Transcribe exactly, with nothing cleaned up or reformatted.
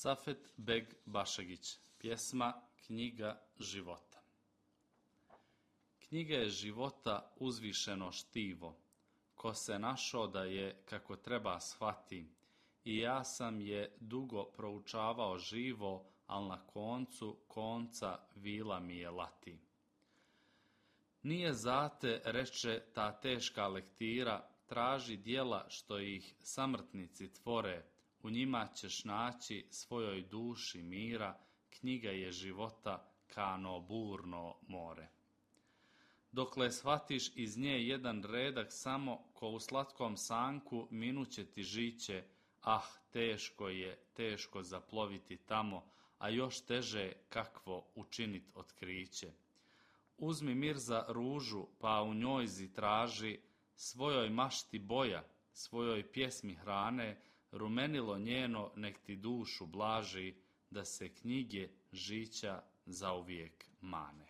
Safet Beg Bašegić, pjesma Knjiga života. Knjiga je života uzvišeno štivo, ko se našo da je kako treba shvati, i ja sam je dugo proučavao živo, al na koncu konca vila mi je lati. Nije zate, reče ta teška lektira, traži djela što ih samrtnici tvore, u njima ćeš naći svojoj duši mira, knjiga je života kano burno more. Dokle shvatiš iz nje jedan redak samo, ko u slatkom sanku minuće ti žiće, ah, teško je, teško zaploviti tamo, a još teže kakvo učinit otkriće. Uzmi Mirza ružu, pa u njoj traži, svojoj mašti boja, svojoj pjesmi hrane, rumenilo njeno nek ti dušu blaži, da se knjige žića zauvijek mane.